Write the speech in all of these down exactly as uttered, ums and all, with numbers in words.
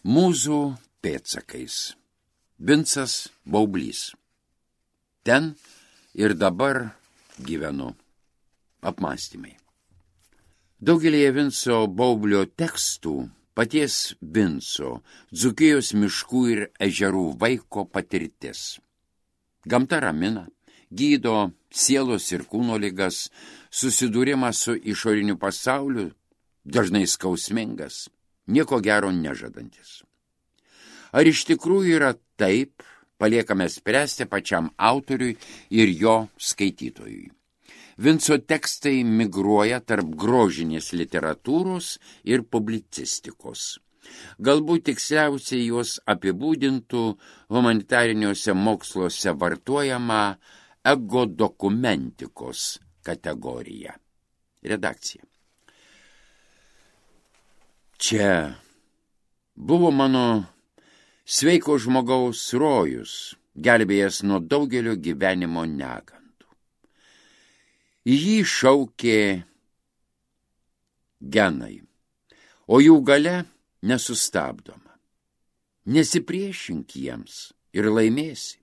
Mūzų pėdsakais. Vincas Baublys. Ten ir dabar gyvenu. Apmąstymai. Daugelėje Vinco Baublio tekstų paties Vinco, Dzūkijos miškų ir ežerų vaiko patirtis. Gamta ramina, gydo sielos ir kūno ligas, susidūrimas su išoriniu pasauliu, dažnai skausmingas, nieko gero nežadantis. Ar iš tikrųjų yra taip, paliekame spręsti pačiam autoriui ir jo skaitytojui. Vinco tekstai migruoja tarp grožinės literatūros ir publicistikos. Galbūt tiksliausiai juos apibūdintų humanitariniuose moksluose vartojama egodokumentikos kategorija. Redakcija. Čia buvo mano sveiko žmogaus rojus, gelbėjęs nuo daugelio gyvenimo negandų. Į jį šaukė genai, o jų galia nesustabdoma. Nesipriešink jiems ir laimėsi.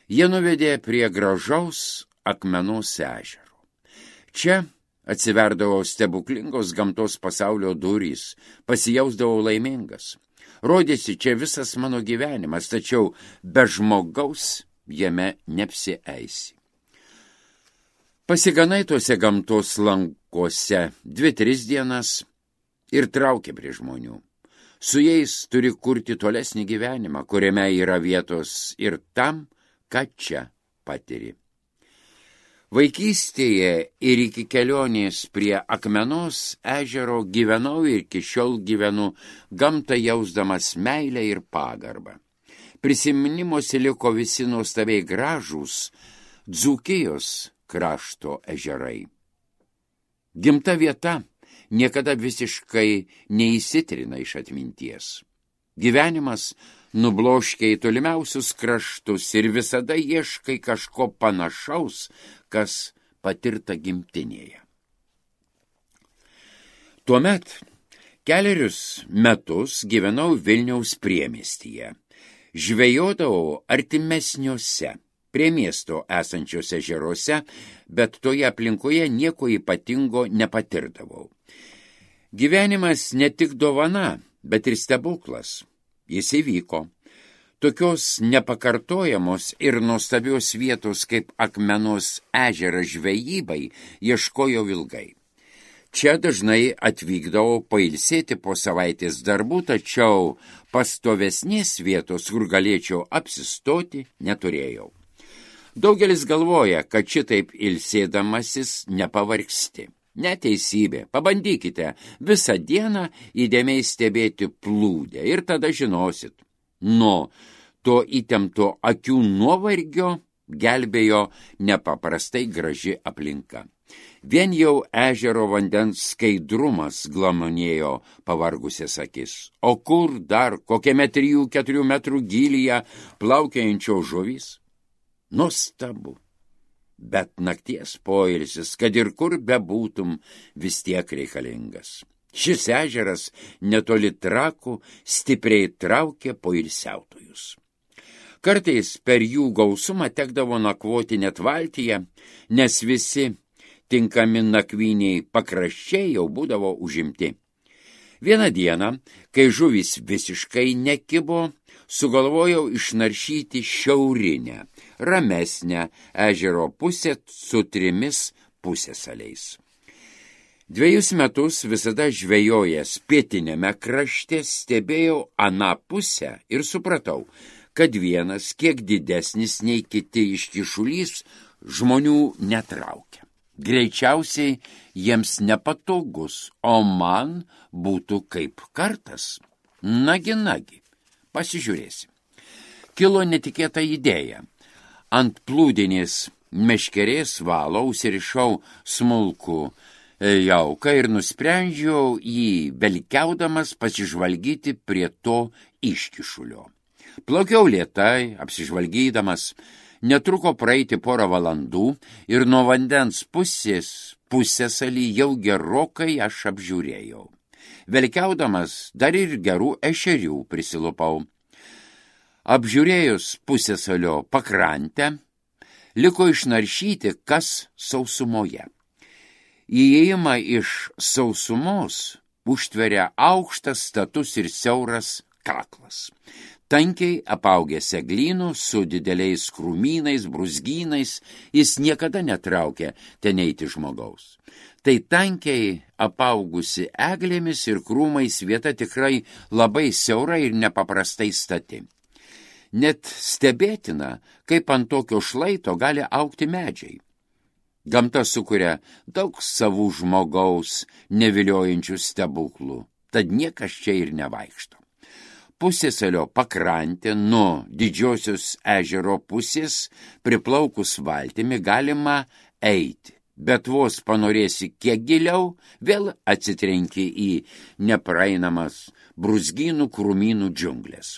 Jie nuvedė prie gražaus Akmenos ežero. Čia atsiverdavo stebuklingos gamtos pasaulio durys, pasijausdavau laimingas. Rodėsi čia visas mano gyvenimas, tačiau be žmogaus jame neapsieisi. Pasiganai tuose gamtos lankuose dvi, tris dienas ir traukia prie žmonių. Su jais turi kurti tolesnį gyvenimą, kuriame yra vietos ir tam, ką čia patiri. Vaikystėje ir iki kelionės prie Akmenos ežero gyvenau ir iki šiol gyvenu, gamtą jausdamas meilę ir pagarbą. Prisiminimuose liko visi nuostabiai gražūs Dzūkijos krašto ežerai. Gimta vieta niekada visiškai neįsitrina iš atminties. Gyvenimas nubloškia į tolimiausius kraštus ir visada ieškai kažko panašaus, kas patirta gimtinėje. Tuomet kelerius metus gyvenau Vilniaus priemiestyje. Žvejodavau artimesniuose, prie miesto esančiuose ežeruose, bet toje aplinkoje nieko ypatingo nepatirdavau. Gyvenimas ne tik dovana, bet ir stebuklas. Jis įvyko. Tokios nepakartojamos ir nuostabios vietos kaip Akmenos ežeras žvejybai ieškojau ilgai. Čia dažnai atvykdavau pailsėti po savaitės darbų, tačiau pastovesnės vietos, kur galėčiau apsistoti, neturėjau. Daugelis galvoja, kad šitaip ilsėdamasis nepavargsti. Neteisybė. Pabandykite visą dieną įdėmiai stebėti plūdę ir tada žinosit. Nuo to įtempto akių nuovargio gelbėjo nepaprastai graži aplinka. Vien jau ežero vandens skaidrumas glamonėjo pavargusias akis. O kur dar kokiame trijų keturių metrų gylyje plaukiančios žuvys? Nuostabu. Bet nakties poilsis, kad ir kur bebūtum, vis tiek reikalingas. Šis ežeras netoli Trakų stipriai traukė poilsiautojus. Kartais per jų gausumą tekdavo nakvoti net valtyje, nes visi tinkami nakvyniai pakraščiai jau būdavo užimti. Vieną dieną, kai žuvys visiškai nekibo, sugalvojau išnaršyti šiaurinę, ramesnę ežero pusę su trimis pusėsaliais. Dviejus metus visada žvejojęs pietinėme krašte stebėjau aną pusę ir supratau, kad vienas kiek didesnis nei kiti iškišulys žmonių netraukia. Greičiausiai jiems nepatogus, o man būtų kaip kartas. Nagi, nagi, pasižiūrėsim. Kilo netikėta idėja. Ant plūdinės meškerės valo užsirišau smulkų jauką ir nusprendžiau jį velkiaudamas pasižvalgyti prie to iškišulio. Plaukiau lėtai, apsižvalgydamas, netruko praeiti porą valandų ir nuo vandens pusės pusėsalį jau gerokai aš apžiūrėjau. Velkiaudamas dar ir gerų ešerių prisilupau. Apžiūrėjus pusiasalio pakrantę, liko išnaršyti, kas sausumoje. Įėjimą iš sausumos užtveria aukštas, status ir siauras kaklas. Tankiai apaugęs eglynų su dideliais krūmynais, brūzgynais, jis niekada netraukia ten eiti žmogaus. Tai tankiai apaugusi eglėmis ir krūmais vieta tikrai labai siaura ir nepaprastai stati. Net stebėtina, kaip ant tokio šlaito gali augti medžiai. Gamta sukuria daug savų žmogaus neviliojančių stebuklų, tad niekas čia ir nevaikšto. Pusiasalio pakrantė nuo didžiosios ežero pusės priplaukus valtimi galima eiti, bet vos panorėsi kiek giliau, vėl atsitrenki į nepraeinamas brūzgynų krūmynų džiunglės.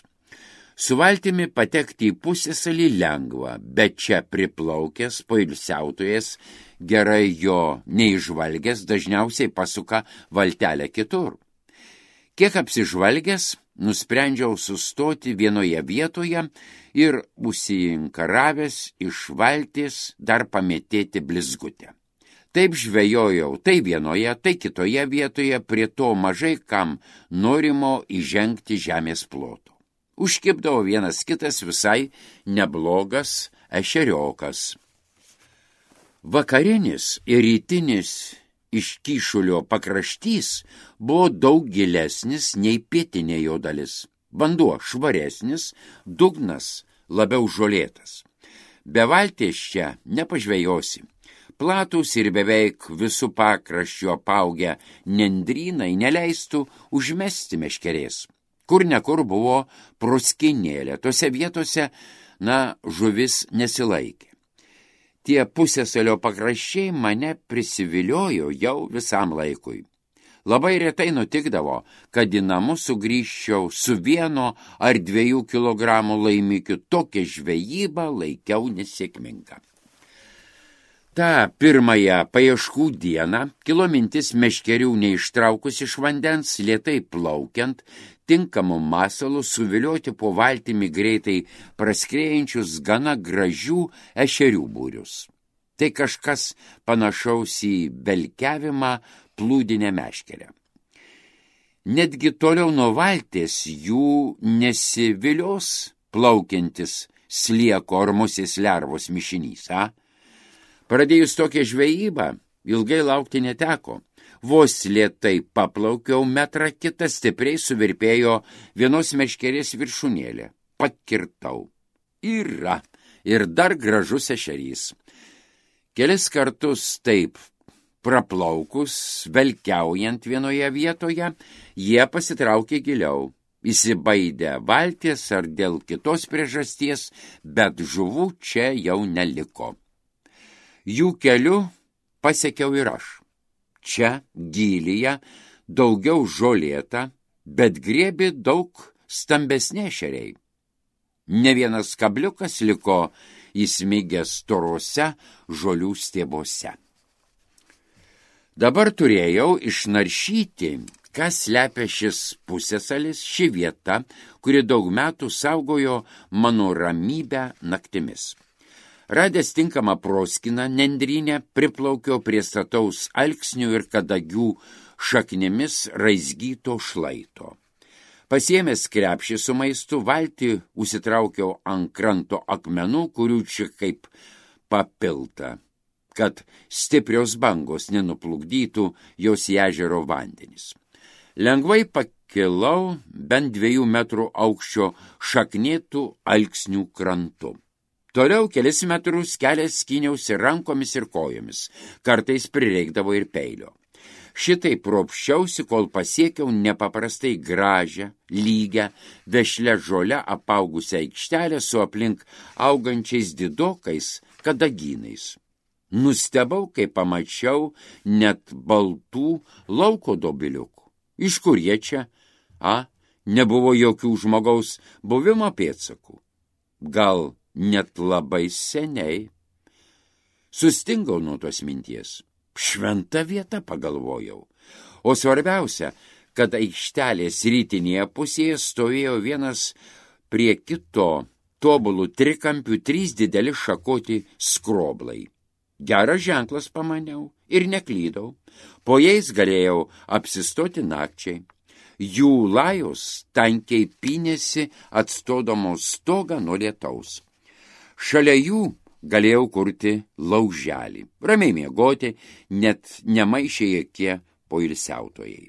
Su valtimi patekti į pusiasalį lengva, bet čia priplaukęs poilsiautojas, gerai jo neižvalgęs, dažniausiai pasuka valtelę kitur. Kiek apsižvalgęs, nusprendžiau sustoti vienoje vietoje ir užsiinkaravęs iš valties dar pamėtėti blizgutę. Taip žvejojau tai vienoje, tai kitoje vietoje prie to mažai kam norimo įžengti žemės ploto. Užkibdavo vienas kitas visai neblogas ešeriokas. Vakarinis ir rytinis iškyšulio pakraštys buvo daug gilesnis nei pietinė jo dalis. Vanduo švaresnis, dugnas labiau žolėtas. Be valties čia nepažvejosi. Platūs ir beveik visų pakraščių apaugę nendrynai neleistų užmesti meškerės. Kur nekur buvo proskinėlė, tose vietose, na, žuvis nesilaikė. Tie pusiasalio pakraščiai mane prisiviliojo jau visam laikui. Labai retai nutikdavo, kad į namus sugrįžčiau su vieno ar dviejų kilogramų laimikiu, tokią žvejybą laikiau nesėkmingą. Ta pirmąją paieškų dieną kilo mintis meškerių neištraukus iš vandens, lėtai plaukiant, tinkamu masalu suvilioti po valtimi greitai praskriejančius gana gražių ešerių būrius. Tai kažkas panašaus į velkiavimą plūdinę meškerę. Netgi toliau nuo valties jų nesivilios plaukiantis slieko ar musės lervos mišinys, a? Pradėjus tokią žvejybą, ilgai laukti neteko. Vos lėtai paplaukiau metrą kitą, stipriai suvirpėjo vienos meškerės viršūnėlė. Pakirtau. Yra. Ir dar gražus ešerys. Kelis kartus taip praplaukus, velkiaujant vienoje vietoje, jie pasitraukė giliau. Įsibaidę valties ar dėl kitos priežasties, bet žuvų čia jau neliko. Jų keliu pasiekiau ir aš. Čia, gylyje, daugiau žolėta, bet griebi daug stambesnė ešeriai. Ne vienas kabliukas liko įsmigęs storose žolių stiebuose. Dabar turėjau išnaršyti, kas slepia šis pusiasalis, ši vieta, kuri daug metų saugojo mano ramybę naktimis. Radęs tinkamą proskiną nendrynę, priplaukiau prie stataus alksnių ir kadagių šaknimis raizgyto šlaito. Pasiėmęs krepšį su maistu, valtį užsitraukiau ant kranto akmenų, kurių čia kaip papilta, kad stiprios bangos nenuplukdytų jos į ežero vandenis. Lengvai pakilau bent dviejų metrų aukščio šaknėtų alksnių krantu. Toliau kelis metrus kelias skyniausi rankomis ir kojomis, kartais prireikdavo ir peilio. Šitai propščiausi, kol pasiekiau nepaprastai gražią, lygią, vešlę žolę apaugusią aikštelę su aplink augančiais didokais kadagynais. Nustebau, kai pamačiau net baltų lauko dobiliukų. Iš kur jie čia? A, nebuvo jokių žmogaus buvimo pėdsakų. Gal net labai seniai. Sustingau nuo tos minties. Šventa vieta, pagalvojau. O svarbiausia, kad aikštelės rytinėje pusėje stovėjo vienas prie kito tobulų trikampių trys dideli šakoti skroblai. Geras ženklas, pamaniau, ir neklydau. Po jais galėjau apsistoti nakčiai. Jų lajos tankiai pynėsi atstodamos stogą nuo lietaus. Šalia jų galėjau kurti lauželį, ramiai miegoti, net nemaišė jokie poilsiautojai.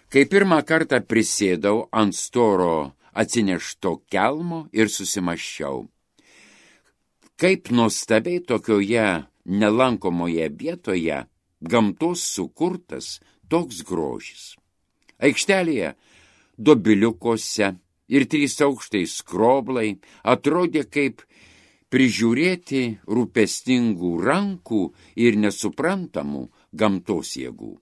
Kai pirmą kartą prisėdau ant storo atsinešto kelmo ir susimaščiau, kaip nuostabiai tokioje nelankomoje vietoje gamtos sukurtas toks grožis. Aikštelėje, dobiliukose ir trys aukštai skroblai atrodė kaip prižiūrėti rūpestingų rankų ir nesuprantamų gamtos jėgų.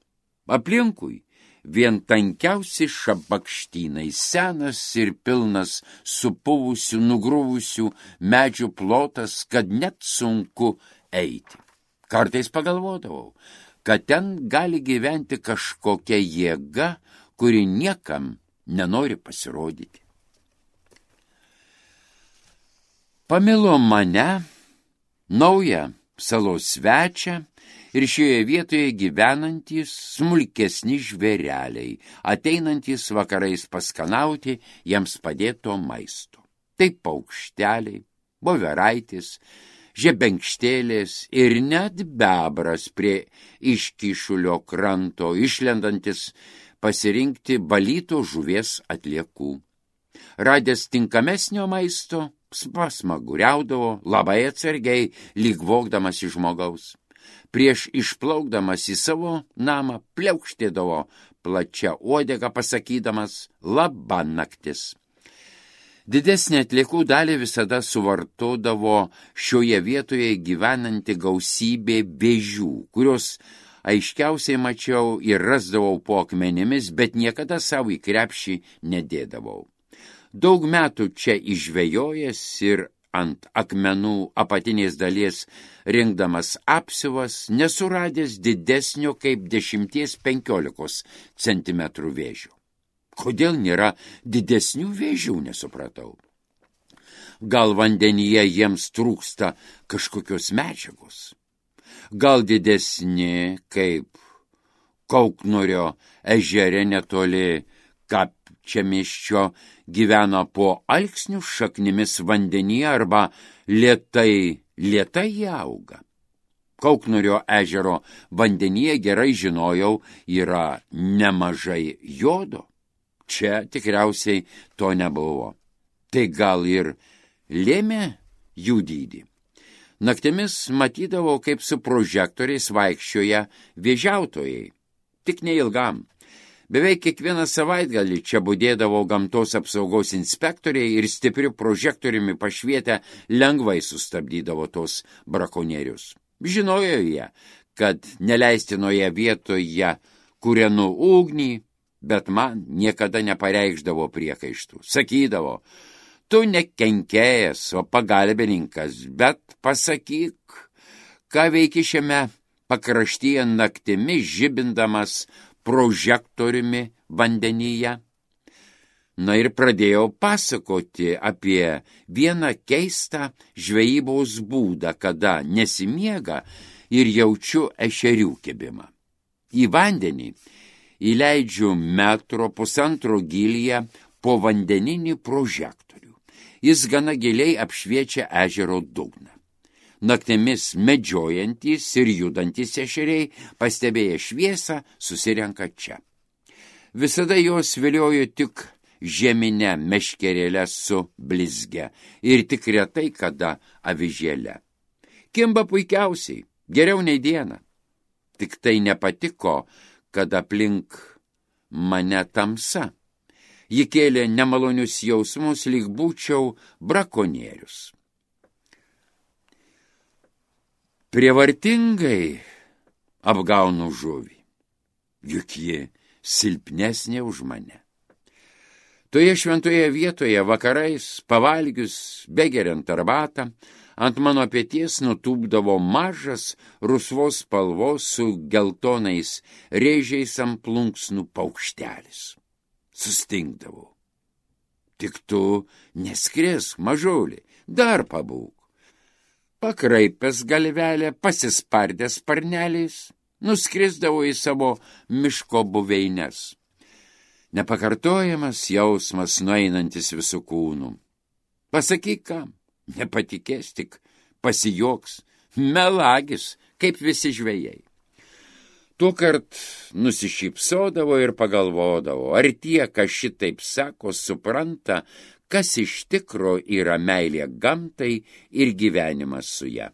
Aplinkui vien tankiausi šabakštynai, senas ir pilnas supuvusių, nugrūvusių medžių plotas, kad net sunku eiti. Kartais pagalvodavau, kad ten gali gyventi kažkokia jėga, kuri niekam nenori pasirodyti. Pamilo mane, naują salos svečią, ir šioje vietoje gyvenantys smulkesni žvėreliai, ateinantys vakarais paskanauti jiems padėto maisto. Tai paukšteliai, voveraitis, žebenkštėlės ir net bebras prie iškyšulio kranto, išlendantis pasirinkti balyto žuvies atliekų. Radęs tinkamesnio maisto, pasmaguriaudavo labai atsargiai, lyg vogdamas iš žmogaus. Prieš išplaukdamas į savo namą pliaukštėdavo plačia uodega, pasakydamas labą naktis. Didesnė atliekų dalį visada suvartodavo šioje vietoje gyvenanti gausybė vėžių, kurios aiškiausiai mačiau ir rasdavau po akmenimis, bet niekada savo į krepšį nedėdavau. Daug metų čia išžvejojęs ir ant akmenų apatinės dalies rinkdamas apsiuvas, nesuradęs didesnio kaip dešimties penkiolikos centimetrų vėžio. Kodėl nėra didesnių vėžių, nesupratau. Gal vandenyje jiems trūksta kažkokios medžiagos? Gal didesni kaip Kauknorio ežere netoli Kapčiamiesčio gyvena po alksnių šaknimis vandenyje arba lėtai, lėtai auga. Kauknorio ežero vandenyje, gerai žinojau, yra nemažai jodo. Čia tikriausiai to nebuvo. Tai gal ir lėmė jų dydį. Naktimis matydavau, kaip su prožektoriais vaikščioja vėžiautojai. Tik neilgam. Beveik kiekvieną savaitgalį čia budėdavo gamtos apsaugos inspektoriai ir stipriu prožektoriumi pašvietę lengvai sustabdydavo tos brakonierius. Žinojo jie, kad neleistinoje vietoje kūrenu ugnį, bet man niekada nepareikšdavo priekaištų. Sakydavo, tu ne kenkėjas, o pagalbininkas, bet pasakyk, ką veiki šiame pakraštyje naktimis žibindamas prožektoriumi vandenyje. Na ir pradėjau pasakoti apie vieną keistą žvejybos būdą, kada nesimiega ir jaučiu ešerių kibimą. Į vandenį įleidžiu metro pusantro gylyje po vandeninį prožektorių. Jis gana giliai apšviečia ežero dugną. Naktimis medžiojantys ir judantys ešeriai, pastebėję šviesą, susirenka čia. Visada jos viliojo tik žeminę meškerėlę su blizge ir tik retai kada avižėlę. Kimba puikiausiai, geriau nei diena. Tik tai nepatiko, kad aplink mane tamsa. Ji kėlė nemalonius jausmus, lyg būčiau brakonierius. Prievartingai apgaunu žuvį, juk ji silpnesnė už mane. Toje šventoje vietoje vakarais, pavalgius, begeriant arbatą, ant mano peties nutūpdavo mažas rusvos spalvos su geltonais rėžiais ant plunksnų paukštelis. Sustingdavau. Tik tu neskrisk, mažulį, dar pabūk. Pakraipęs galvelę, pasispardęs sparneliais, nuskrisdavo į savo miško buveines. Nepakartojamas jausmas nueinantis visų kūnų. Pasakyk kam, nepatikės, tik pasijoks, melagis, kaip visi žvejai. Tuokart nusišypsodavo ir pagalvodavo, ar tie, kas šitaip sako, supranta, kas iš tikro yra meilė gamtai ir gyvenimas su ja.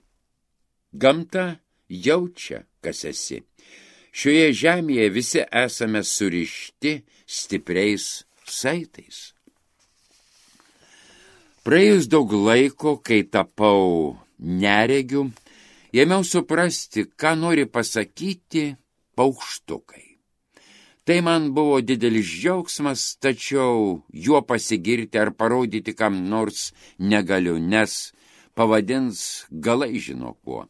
Gamta jaučia, kas esi. Šioje žemėje visi esame surišti stipriais saitais. Praėjus daug laiko, kai tapau neregiu, ėmiau suprasti, ką nori pasakyti paukštukai. Tai man buvo didelis džiaugsmas, tačiau juo pasigirti ar parodyti kam nors negaliu, nes pavadins galai žino kuo.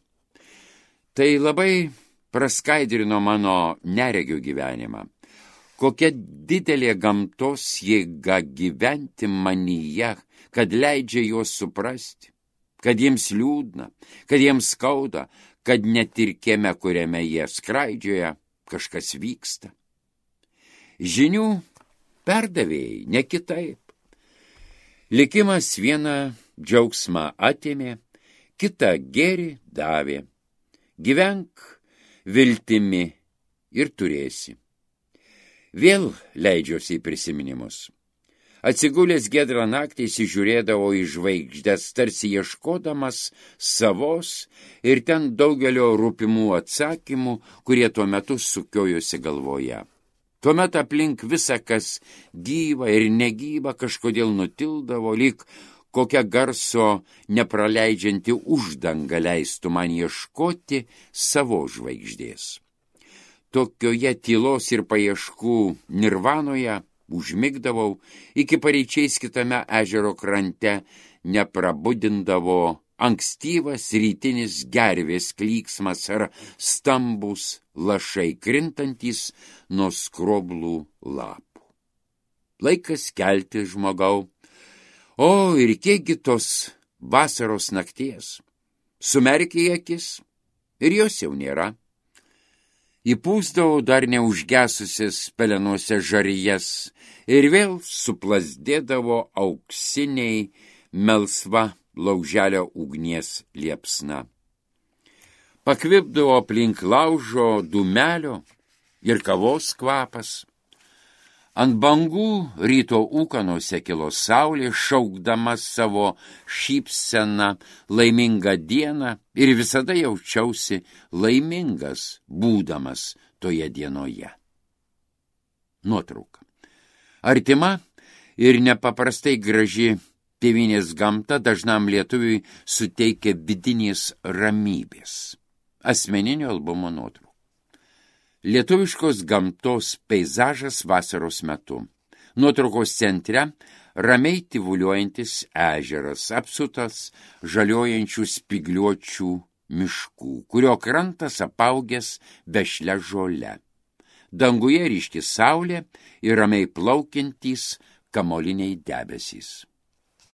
Tai labai praskaidrino mano neregio gyvenimą. Kokia didelė gamtos jėga gyventi manyje, kad leidžia juos suprasti, kad jiems liūdna, kad jiems skauda, kad net ir kieme, kuriame jie skraidžioja, kažkas vyksta. Žinių perdavėjai, ne kitaip. Likimas vieną džiaugsmą atėmė, kitą gėrį davė. Gyvenk viltimi ir turėsi. Vėl leidžiuosi į prisiminimus. Atsigulęs giedrą naktį įsižiūrėdavo į žvaigždes, tarsi ieškodamas savos ir ten daugelio rūpimų atsakymų, kurie tuo metu sukiojosi galvoje. Tuomet aplink visa, kas gyva ir negyva, kažkodėl nutildavo, lyg kokia garso nepraleidžianti uždanga leistų man ieškoti savo žvaigždės. Tokioje tylos ir paieškų nirvanoje užmigdavau, iki paryčiais kitame ežero krante neprabudindavo ankstyvas rytinis gervės klyksmas ar stambus lašai krintantys nuo skroblų lapų. Laikas kelti, žmogau. O, ir kiekgi tos vasaros nakties. Sumerkė akis ir jos jau nėra. Įpūsdavau dar neužgesusias pelenuose žarijas ir vėl suplasdėdavo auksiniai melsva lauželio ugnies liepsna. Pakvipdavo aplink laužo dūmelio ir kavos kvapas. Ant bangų ryto ūkanose kilo saulė, šaukdama savo šypseną laimingą dieną ir visada jaučiausi laimingas, būdamas toje dienoje. Nuotrauka. Artima ir nepaprastai graži tėvynės gamta dažnam lietuviui suteikia vidinės ramybės. Asmeninio albumo nuotrauka. Lietuviškos gamtos peizažas vasaros metu. Nuotraukos centre ramiai tyvuliuojantis ežeras, apsutas žaliojančių spygliuočių miškų, kurio krantas apaugęs vešlia žole. Danguje ryški saulė ir ramiai plaukiantys kamoliniai debesys.